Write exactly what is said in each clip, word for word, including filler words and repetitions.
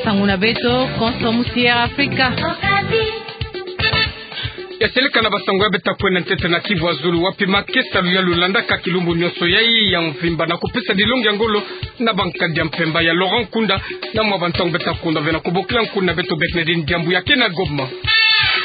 Basangu na beto konso musi ya Afrika. Ya seleka na basangu ya beta kwenda ntete na Kivu ya Zulu, wapi makesa luyalu landaka kilumbu nionso yayi ya mvimba na kupesa dilongi ya ngolo na bankadi ya mpemba ya Laurent Nkunda, na mwa bantangu beta kwenda ve na kubokila nkuna beto Bernardine Diambu ya ke na Goma.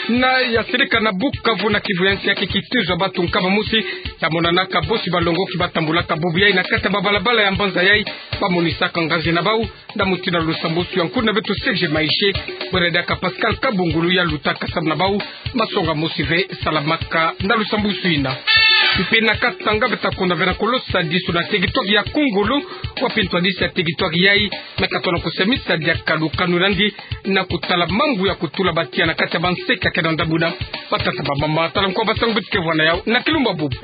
Na ya seleka na Bukavu na Kivu ya nsi, ya ke kitezo ya bantu nkama mosi ya monanaka bosi balongoki batambulaka bubu yayi na kati ya babalabala ya mbanza yayi, bamonisaka nganzi na bau, na mutindu na lusambwasu ya nkuna beto Serge Maishe, bwela diaka Pascal Kabungulu ya lutaka samu na bau masonga mosi ve salamaka na lusambwasu ina. Mpe na Katanga beta kwenda ve na kolosa disu na territoire ya Kongolo, wapi ntwadisi ya territoire yayi me katona kusemisa diaka lukanu landi na kutala mambu ya kutula batiya na kati ya banseke ya ke na ndambu na batata bamama. Tala nkwa basangu beto ke vwanda yau na kilumbu bubu.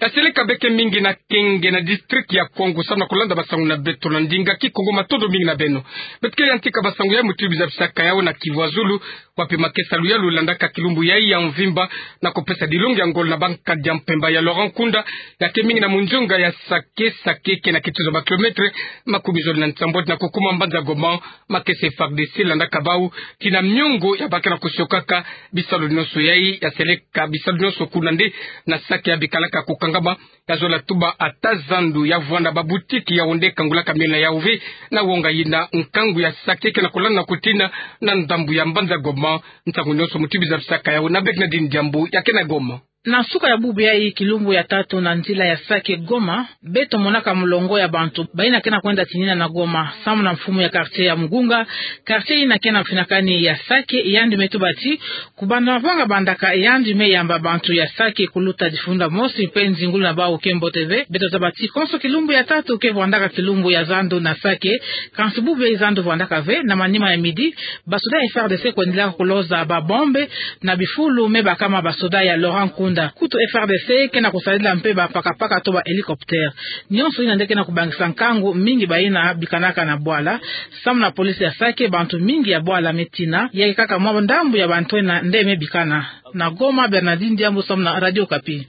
Ya seleka beke mingi na Kenge na district ya Kwango samu na kulanda basangu na beto na ndinga Kikongo. Matondo mingi na beno. Beto ke yantika basangu ya muti biza bisaka yau na Kivu ya Zulu, wapi makesa luyalu landaka kilumbu yayi ya mvimba na kupesa dilongi ya ngolo na bankadi ya mpemba ya Laurent Nkunda, ya ke mingi na munzonga ya Sake. Sake ke na kituza ba kilomètre makumi zole na nsambwadi na kukuma mbanza Goma. Makesa F A R D C landaka bau tina miongo ya bake na kusiokaka bisalu nionso yayi. Ya seleka bisalu nionso kuna nde na Sake ya bikalaka kukangama, ya zola tuba ata zandu ya vwanda ba boutique ya onde kangulaka miona yau ve na wonga yina nkangu ya Sake ke na kulanda na kutina na ndambu ya mbanza Goma. Nsangu nionso muti biza bisaka yau na Bernardine Diambu ya ke na Goma. Na nsuka ya bubu yayi, kilumbu ya tatu na nzila ya Sake Goma, beto monaka mulongo ya bantu bayina ke na kwenda tinina na Goma samu na mfumu ya quartier ya Mugunga. Quartier yina ke na mfinakani ya Sake, yandi me tuba ti kubanda mavanga bandaka, yandi me yamba bantu ya Sake kuluta difunda mosi mpe nzingulu na bau ke mbote ve. Beto zaba ti konso kilumbu ya tatu ke vwandaka kilumbu ya zandu na Sake, kansi bubu yayi zandu vwandaka ve. Na manima ya midi, basoda ya F A R D C kwendilaka kuloza ba bombe na bifulu me bakama basoda ya Laurent Nkunda. Kutu F A R D C ke na kusadila mpe ba pakapaka to ba hélicoptère. Nionso yina nde ke na kubangisa nkangu mingi bayina bikanaka na bwala. Samu na police ya Sake, bantu mingi ya bwala me tina, ya ke kaka mwa ndambu ya bantu yina nde me bikana. Na Goma, Bernardine Diambu samu na Radio Okapi.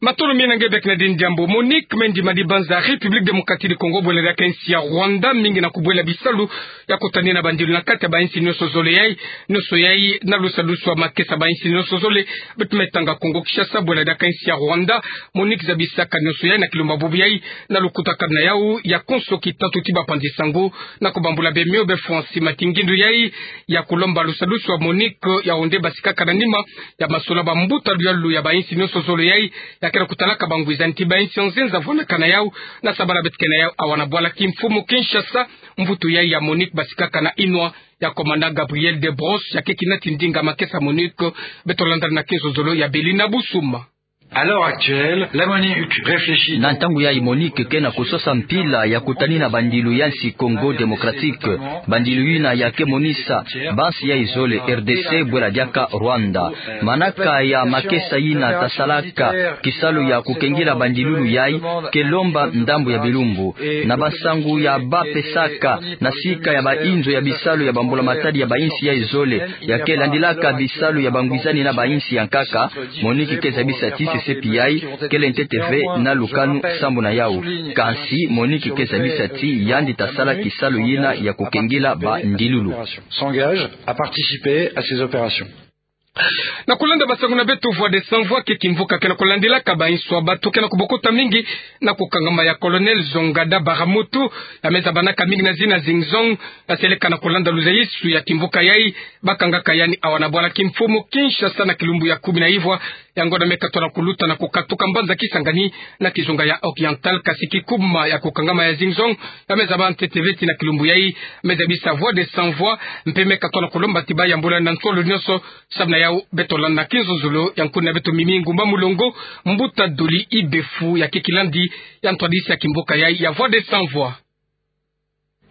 Matondo mingi na nge Bernardine Diambu. Monique Mendi Madibanza, République Démocratique du Congo, bwela diaka insi ya Rwanda mingi na kubwela bisalu ya kutanina bandilu na kati ya bainsi nionso zole yayi, nionso yayi na lusadusu wa makesa bainsi nionso zole. Beto me tanga Congo Kinshasa, bwela diaka insi ya Rwanda. Monique zabisaka nionso yayi na kilumbu bubu yayi na lukutakanu na yau ya konso kitatu ti bapanzi sango na kubambula bemio be Francis Matingindu yayi ya kulomba lusadusu wa Monique ya onde basikaka na nima ya masolo ba mbuta luyalu ya bainsi nionso zole yayi, ya ke na kutalaka bangwizani ti bainsi ya nzenza vwanakana yau. Na sabala beto ke na yau awa na bwala kimfumu Kinshasa, mvutu yayi ya Monique basikaka na inwa ya commandant Gabriel Debrosse, ya ke kina ti ndinga makesa Monique. Beto landa na kinzonzolo ya Belina Busuma. À l'heure actuelle, la Monique réfléchit. Na ntangu yayi Monique ke na kusosa mpila ya kutanina bandilu ya insi Congo Démocratique. Bandilu yina ya ke monisa bansi yayi zole R D C bwela diaka Rwanda. Manaka ya makesa yina tasalaka kisalu ya kukengila bandilulu yayi ke lomba ndambu ya bilumbu. Na bansangu ya ba pesaka na sika ya bainzo ya bisalu ya bambula matadi ya bainsi yayi zole, ya ke landilaka bisalu ya bangwizani na bainsi ya nkaka, Monique ke zabisa ti sesepi yayi kele ntete ve na lukanu sambu na yau. Kansi Monique ke zabisa ti yandi tasala kisalu yina ya kukengila bandilulu. S'engage à participer à ces opérations. Na kulanda basangu na beto, Voix des Sans Voix ke kimvuka ke na kulandilaka bainso ya bato ke na kubokota mingi na kukangama ya Colonel Zongada Baramoto, ya me zabanaka mingi na zina Zingzong. Ya seleka na kulanda luzayisu ya kimvuka yayi, bakangaka yandi awa na bwala kimfumu Kinshasa na kilumbu ya kumi na ivwa. Yango na me katola kuluta na kukatuka mbanza Kisangani na kizunga ya Oriental, kasi kikuma ya kukangama ya Zingzong ya me zaba ntete ve ti na kilumbu yayi. Me zabisa Voix des Sans Voix, mpe me katola kulomba ti bayambula na nsolo nionso, samu na yau. Beto landa na kinzonzolo ya nkuni na beto Mimi Ngumba Mulongo, mbuta Doli Ibefu, ya ke kilandi ya ntwadisi ya kimvuka yayi ya Voix des Sans Voix.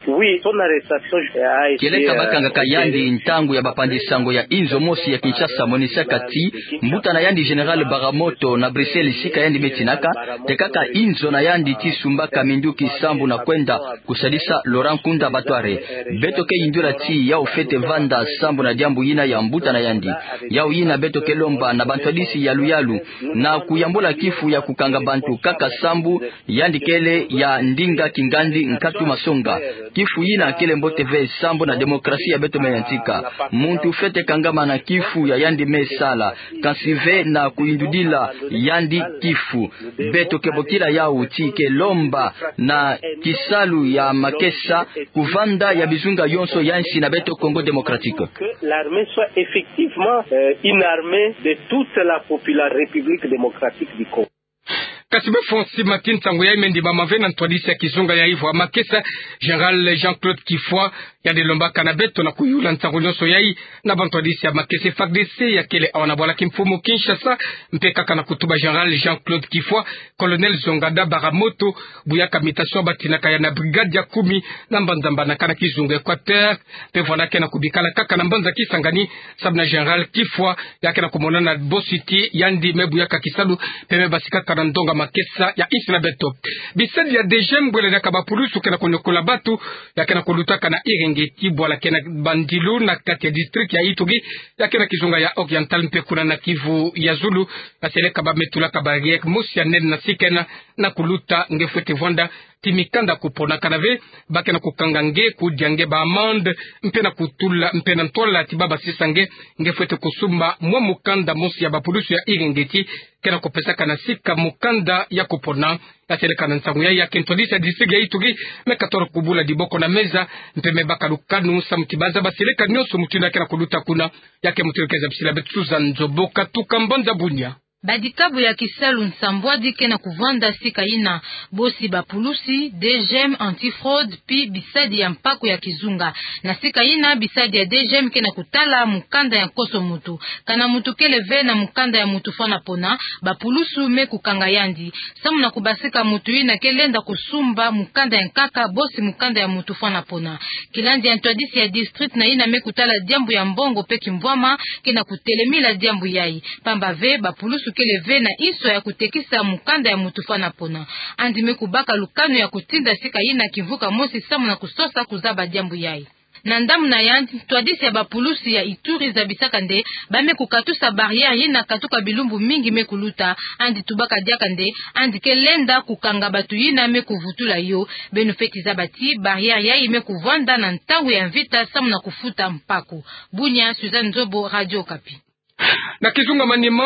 Oui, son arrestation a été, kieleka, euh, bakangaka yandi ntangu ya bapanzi sango ya inzo mosi ya Kinshasa monisaka ti mbuta na yandi Général Baramoto na Bruxelles, sika yandi me tinaka, tekaka inzo na yandi ti sumbaka minduki sambu na kwenda kusadisa Laurent Nkunda Batware. Beto ke yindula ti yau fwete vanda sambu na diambu yina ya mbuta na yandi. Yau yina beto ke lomba na bantwadisi ya luyalu na kuyambula kifu ya kukanga bantu kaka sambu yandi kele ya ndinga kingandi nkatu masonga. Kifu yina kele mbote ve sambu na démocratie ya beto me yantika. Muntu fwete kangama na kifu ya yandi me sala, kansi ve na kuyindudila yandi kifu. Beto ke bokila yawu ti ke lomba na kisalu ya makesa ku vanda ya bizunga yonso ya nsi na beto Congo Démocratique. Que l'armée soit effectivement, euh, une armée de toute la popula-, République démocratique du Congo. Kasi befo nsi mati nsangu yayi me ndimama ve na ntwadisi ya kizunga ya Ivoire makesa, Général Jean-Claude Kifwa, yandi lombaka na beto na kuyula nsangu nyonso yayi na bantwadisi ya makesa F A R D C ya kele awa na bwala kimfumu Kinshasa, mpe kaka na kutuba Général Jean-Claude Kifwa, Colonel Zongada Baramoto, buyaka mutation batinaka ya na brigade ya kumi na mbanza mbanaka na kizunga Équateur, mpe vwanda ke na kubikala kaka na mbanza Kisangani, samu na Général Kifwa ya ke na kumonana bosi ti yandi me buyaka kisalu mpe me basikaka na ndonga makesa ya nsi na beto. Bisadi ya DGM, bwele diaka bapulusu ke na kuniokola batu, ya ke na kulutaka na Irengeti, bwala ke na bandilu na kati ya district ya Ituri, ya ke na kizunga ya Oriental mpe kuna na Kivu ya zulu, baseleka ba me tulaka barrière mosi ya nene na sikena na kuluta nge fwete vwanda ti mikanda kuponakana ve, ba ke na kukanga nge, kudia nge ba amende, mpe na kutula, mpe na ntwala ti ba basisa nge, nge fwete kusumba mwa mukanda mosi ya bapulusu ya Irengeti ke na kupesaka na sika mukanda ya kupona. Yaseleka na nsangu yayi, ya ke ntwadisi ya district ya Ituri me katolo kubula diboko na meza, mpe me baka lukanu samu ti baza baseleka nyonso mutindu ya ke na kuluta kuna. Ya ke mutindu ke zabisila beto Suzanne Nzobo katuka mbanza Bunia. Badikabu ya kisalu nsambwadi ke na kuvwanda sika yina, bosi bapulusi, DGM, anti-fraude, pi bisadi ya mpaku ya kizunga. Na sika yina, bisadi ya DGM ke na kutala mukanda ya nkoso muntu. Kana muntu kele ve na mukanda ya muntu fwana pona, bapulusu me kukanga yandi. Samu na kubasika muntu yina ke lenda kusumba mukanda ya nkaka, bosi mukanda ya muntu fwana pona. Kilandi ya ntwadisi ya district na yina me kutala diambu ya mbongo mpe kimvwama ke na kutelemila diambu yayi. Pamba ve, bapulusu kele ve na inswa ya kutekisa mukanda ya muntu fwana pona. Yandi me kubaka lukanu ya kutinda sika yina kimvuka mosi samu na kusosa kuzaba diambu yayi. Na ndambu na yandi, ntwadisi ya bapulusu ya Ituri zabisaka nde ba me kukatusa barrière yina katuka bilumbu mingi me kuluta. Yandi tubaka diaka nde yandi ke lenda kukanga batu yina me kuvutula yo. Beno fweti zaba ti barrière yayi me kuvwanda na ntangu ya mvita samu na kufuta mpaku. Bunia, Suzanne Nzobo, Radio Okapi. Na kizunga manima,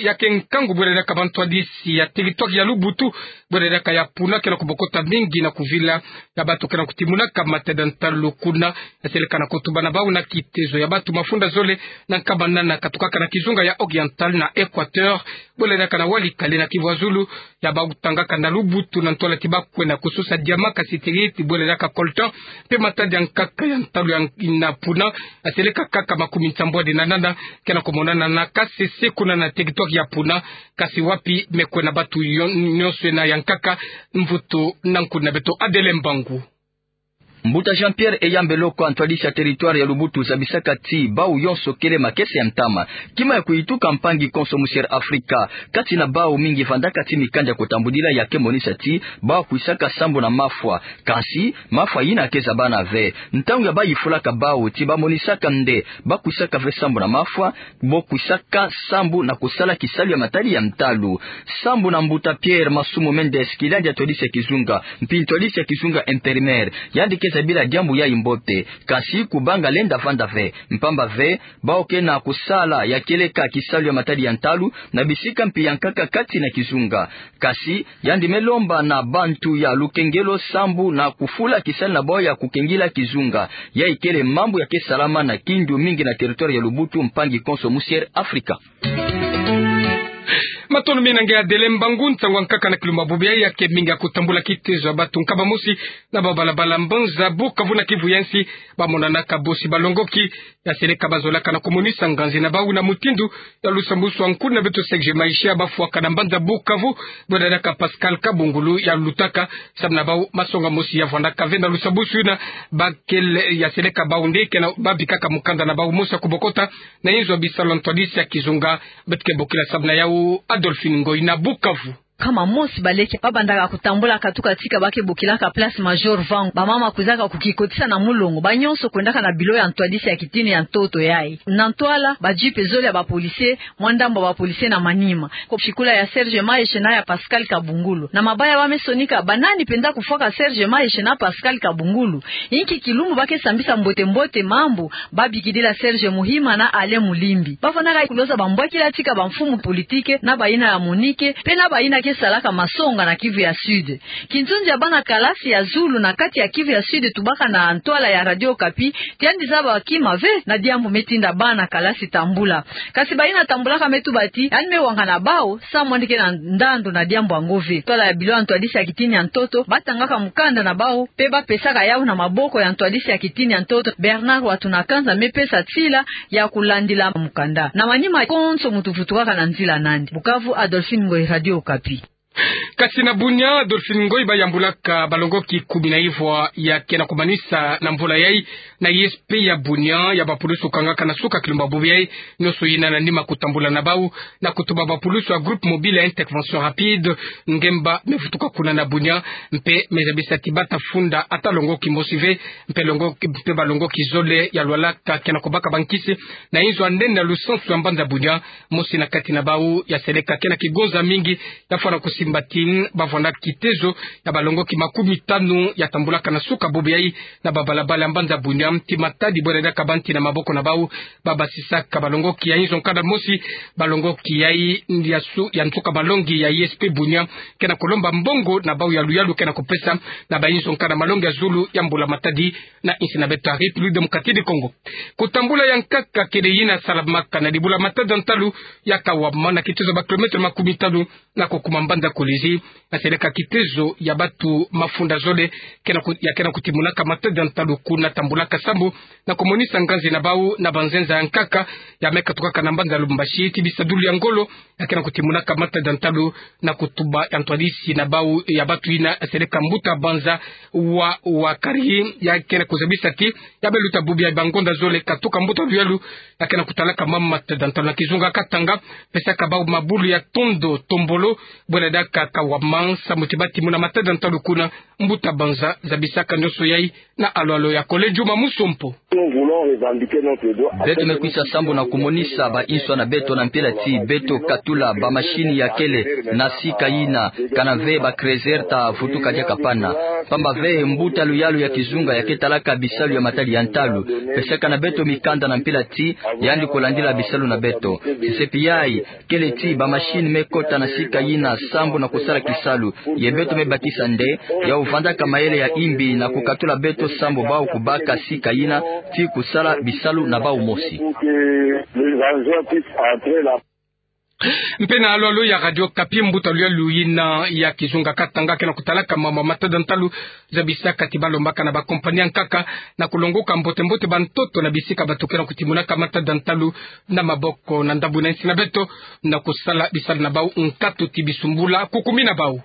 ya ke nkangu bwele diaka bantwadisi ya territoire ya Lubutu, bwele diaka ya Puna, ke na kubokota mingi na kuvila ya batu ke na kutimunaka matadi ya ntalu kuna. Yaseleka na kutuba na bau na kitezo ya batu mafunda zole na nkaba nana katukaka na kizunga ya Oriental na Équateur, bwele diaka na Walikale na Kivu ya zulu, ya bau tangaka na Lubutu na ntwala ti ba kwenda kusosa diamant, kasi ti bwele diaka coltan, mpe matadi ya nkaka ya ntalu ya na Puna. Yaseleka kaka makumi nsambwadi na nana ke na kumonana na Kasese kuna na territoire ya Puna, kasi wapi me kwenda batu yo-, nyonso yena ya nkaka. Mvutu na nkundi na beto Adele Mbangu. Mbuta Jean-Pierre Eyambe Lokwa, ntwadisi ya territoire ya Lubutu, zabisaka ti bau yonso kele makesa ya ntama. Kima ya kuyituka mpangi konso musi ya Afrika, kati na bau mingi vandaka ti mikanda ya kutambudila ya ke monisa ti bau kwisaka sambu na mafwa. Kansi mafwa yina ke zabana ve. Ntangu ya ba yifulaka bau ti ba monisaka nde ba kwisaka ve sambu na mafwa, bo kwisaka sambu na kusala kisalu ya matadi ya ntalu. Sambu na mbuta Pierre Masumu Mendes, kilandi ya ntwadisi ya kizunga, mpi ntwadisi ya kizunga intérimaire, yandi ke zabila diambu yayi mbote. Kansi kubanga lenda vanda ve, mpamba ve bau ke na kusala ya kieleka kisalu ya matadi ya ntalu na bisika mpi ya nkaka kati na kizunga. Kansi yandi me lomba na bantu ya lukengelo sambu na kufula kisalu na bau ya kukengila kizunga. Yayi kele mambu ya ke salama na kindu mingi na territoire ya Lubutu, mpangi konso musi ya Afrika. Matondo mingi na nge Adele Mbangu. Nsangu ya nkaka na kilumbu bubu yayi ya ke mingi ya kutambula kitezo ya batu nkaba mosi na ba balabala mbanza Bukavu na Kivu ya nsi, ba monanaka bosi balongoki. Yaseleka ba zolaka na kumonisa nganzi na bau na mutindu ya lusambwasu ya nkundi na beto Serge Maisha, ba fwaka na mbanza Bukavu, bwele diaka Pascal Kabungulu ya lutaka, samu na bau masonga mosi ya vandaka ve na lusambwasu yina. Ba kele, yaseleka bau nde ke na ba bikaka mukanda na bau mosi ya kubokota na inzo ya bisalu ya ntwadisi ya kizunga. Beto ke bokila samu na yau Adolphine Ngoy na Bukavu. nkama mosi baleke, babandaka kutambula katuka tika ba ke bokilaka Place Major Vangu. Bamama kwizaka kukikotisa na mulongo, ba nyonso kwendaka na bilo ya ntwadisi ya kitini ya ntoto yayi. Na ntwala, ba jeep zole ya ba policiers, mwa ndambu ya ba policiers na manima. Ko shikula ya Serge Maeshe na ya Pascal Kabungulu. Na mabaya ba me sonika, ba nani mpenza kufwaka Serge Maeshe na Pascal Kabungulu? Inki kilumbu ba ke sambisa mbote-mbote mambu, ba bikidila Serge Muhima na Alain Mulimbi? Ba fwanaka kuloza bambwakila tika ba mfumu politike, na bayina ya MONUC, mpe na bayina ke salaka masonga na Kivu ya Sud. Kinzonzi ya bana kalasi ya zulu na kati ya Kivu ya Sud tubaka na ntwala ya Radio Okapi, ti yandi zaba kima ve na diambu me tinda bana kalasi tambula. Kasi bayina tambulaka me tuba ti yandi me wangana bau, samu yandi ke na ndandu na diambu yango ve. Ntwala ya bilo ya ntwadisi ya kitini ya ntoto, ba tangaka mukanda na bau, mpe ba pesaka yau na maboko ya ntwadisi ya kitini ya ntoto, Bernard Watunakanza me pesa nsila ya kulandila mukanda. Na manima konso muntu vutukaka na nzila nandi. Bukavu, Adolphine Ngoyi, Radio Okapi. Kasi na Bunia, Adolphine Ngoyi, ba yambulaka balongoki kumi na ivwa ya ke na kumanisa na mvula yayi na ISP ya Bunia, ya ba pulusu kangaka na suka kilumbu bubu yayi, nyonso yina na nima kutambula na bau, na kutuba ba pulusu ya Groupe Mobile ya Intervention Rapide, ngemba me vutuka kuna na Bunia, mpe me zabisa ti ba ta funda ata longoki mosi ve, mpe longoki, mpe balongoki zole ya lwalaka ke na kubaka bankisi na inzo ya nene ya lusansu ya mbanza Bunia, mosi na kati na bau ya seleka ke na kigonza mingi, ya fwana kusimba ti ba fwana kitezo ya balongoki makumi tanu ya tambulaka na suka bubu yayi na babalabala ya mbanza Bunia, ti matadi bwena diaka ba nti na maboko na bau, ba basisaka balongoki ya inzo nkanda mosi, balongoki yayi ya su-, ya nsuka malongi ya ISP Bunia, ke na kulomba mbongo na bau ya luyalu ke na kupesa na ba inzo nkanda malongi ya zulu ya mbula matadi na insi na beto ya République Démocratique du Congo. Kutambula ya nkaka kele yina salamaka na dibula matadi ya ntalu ya Kawama na kitezo ba kilomètre makumi tanu na kukuma mbanza Kolwezi, na seleka kitezo ya batu mafunda zole ke na ku-, ya ke na kutimunaka matadi ya ntalu kuna, tambulaka sambu na kumonisa nganzi na bau na banzenza ya nkaka ya me katukaka na mbanza Lubumbashi, ti bisadulu ya ngolo ya ke na kutimunaka matadi ya ntalu, na kutuba ya ntwadisi na bau ya batu yina seleka mbuta banza wa, wa kari, ya ke na kuzabisa ti ya me luta bubu ya bangonda zole katuka mbuta luyalu ya ke na kutalaka mama matadi ya ntalu na kizunga Katanga, pesaka bau mabulu ya tondo tombolo, bwena diaka Kawama, samu ti ba timuna matadi ya ntalu kuna. Mbuta banza zabisaka nyonso yayi na alwalo ya Collège Juma Musompo. Beto me kwisa sambu na kumonisa ba inswa na beto na mpila ti beto katula ba machine ya kele na sika yina, kana ve ba creuser ta vutuka diaka pana. Pamba ve mbuta luyalu ya kizunga ya ke talaka bisalu ya matadi ya ntalu, pesaka na beto mikanda na mpila ti yandi kulandila bisalu na beto. Tisepi yayi, kele ti ba machine me kota na sika yina sambu na kusala kisalu, ye beto me bakisa nde, yau vandaka mayele ya imbi na kukatula beto sambu bau kubaka sika yina ti kusala bisalu na bau mosi. Mpe na alwalo ya Radio Okapi, mbuta luyalu yina ya kizunga Katanga ke na kutalaka mama matadi ya ntalu zabisaka ti ba lombaka na ba compagnie ya nkaka na kulongoka mbote-mbote bantoto na bisika bato ke na kutimunaka matadi ya ntalu na maboko na ndambu na insi na beto, na kusala bisalu na bau nkatu ti bisumbula kukumi na bau.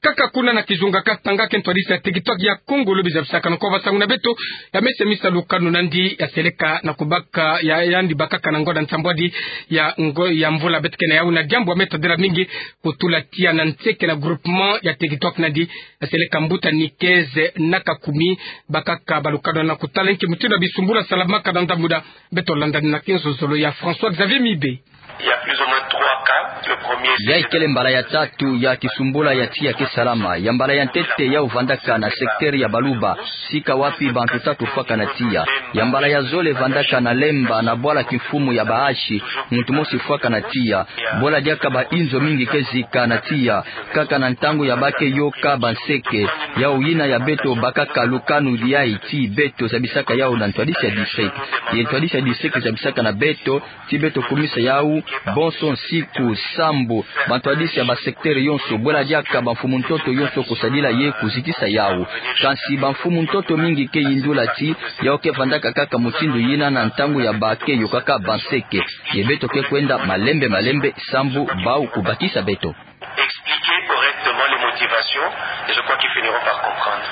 Kaka kuna na kizunga Katanga, ke ntwadisi ya Tiktok ya Kongo lobi zabisaka na ko basangu na beto ya mese misa lukanu nandi ya seleka na kubaka ya, yandi bakaka na ngonda nsambwadi ya ngo-, ya mvula beto ke na yau, na diambu ya me tadila mingi kutula tiya na nseke na groupement ya Tiktok nandi ya seleka mbuta Nikeze na Kakumi, bakaka ba lukanu na kutala nki mutindu ya bisumbula salamaka na ndambu na beto. Landani na kenzozolo ya François Xavier Mibe. Il y a plus ou moins trois cas. Le premier, c'est... Yayi kele mbala ya tatu ya kisumbula ya tiya ke salama. Ya mbala ya ntete yau vandaka na secteur ya Baluba, sika wapi bantu tatu fwaka na tiya. Ya mbala ya zole vandaka na Lemba na bwala kimfumu ya bahashi, muntu mosi fwaka na tiya. Bwala diaka ba inzo mingi ke zika na tiya, kaka na ntangu ya ba ke yoka ba nseke. Yau yina ya beto bakaka lukanu diayi ti beto zabisaka yau na ntwadisi ya district. Ye ntwadisi ya district zabisaka na beto ti beto kumisa yau bonso nsiku sambu bantwadisi ya ba secteur yonso, bwela diaka ba mfumu ntoto yonso kusadila ye kuzitisa yau. Kansi ba mfumu ntoto mingi ke yindula ti yau ke vandaka kaka mutindu yina na ntangu ya ba ke yokaka ba nseke. Ye beto ke kwenda malembe malembe sambu bau kubakisa beto. Expliquer correctement les motivations, et je crois qu'ils finiront par comprendre.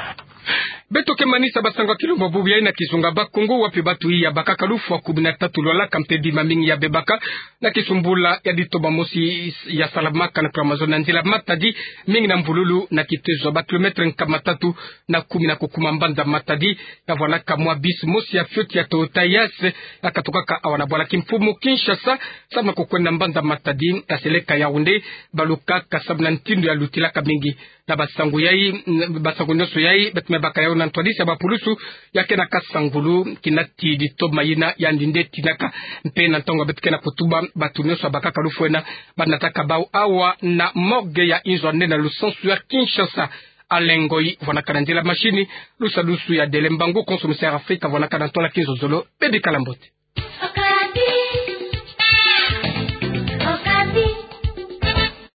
Beto ke manisa basango ya kilumbu bubu yayi na kizunga Bas-Congo, wapi batu iya bakaka lufwa kumi na tatu lwalaka mpe bima mingi ya bebaka na kisumbula ya ditoma mosi ya salamaka na kula mazono ya nzila Matadi, mingi na mbululu na kitezo ya ba kilometre nkama tatu na kumi na kukuma mbanza Matadi. Ya vwanaka mwa bus mosi ya fioti ya Toyota Yaris, ya katukaka awa na bwala kimfumu Kinshasa, samu na kukwenda mbanza Matadi, ya seleka Yaoundé, balukaka samu na ntindo ya lutilaka mingi. Na basango yayi, basango nyonso yayi, beto me baka yawu na ntwadisi ya bapulusu ya ke na kasangulu, kina ti ditoma yina yandi nde tinaka. Mpe na ntangu beto ke na kutuba, batu nyonso ya bakaka lufwa ena, banataka bawu awa na morgue ya inzo ya nene ya lusansu ya Kinshasa. Alain Ngoyi vwanaka na nzila machine, lusadusu ya Dele Mbangu, konso Mister Afrika vwanaka na ntola kinzonzolo, bebikala mbote.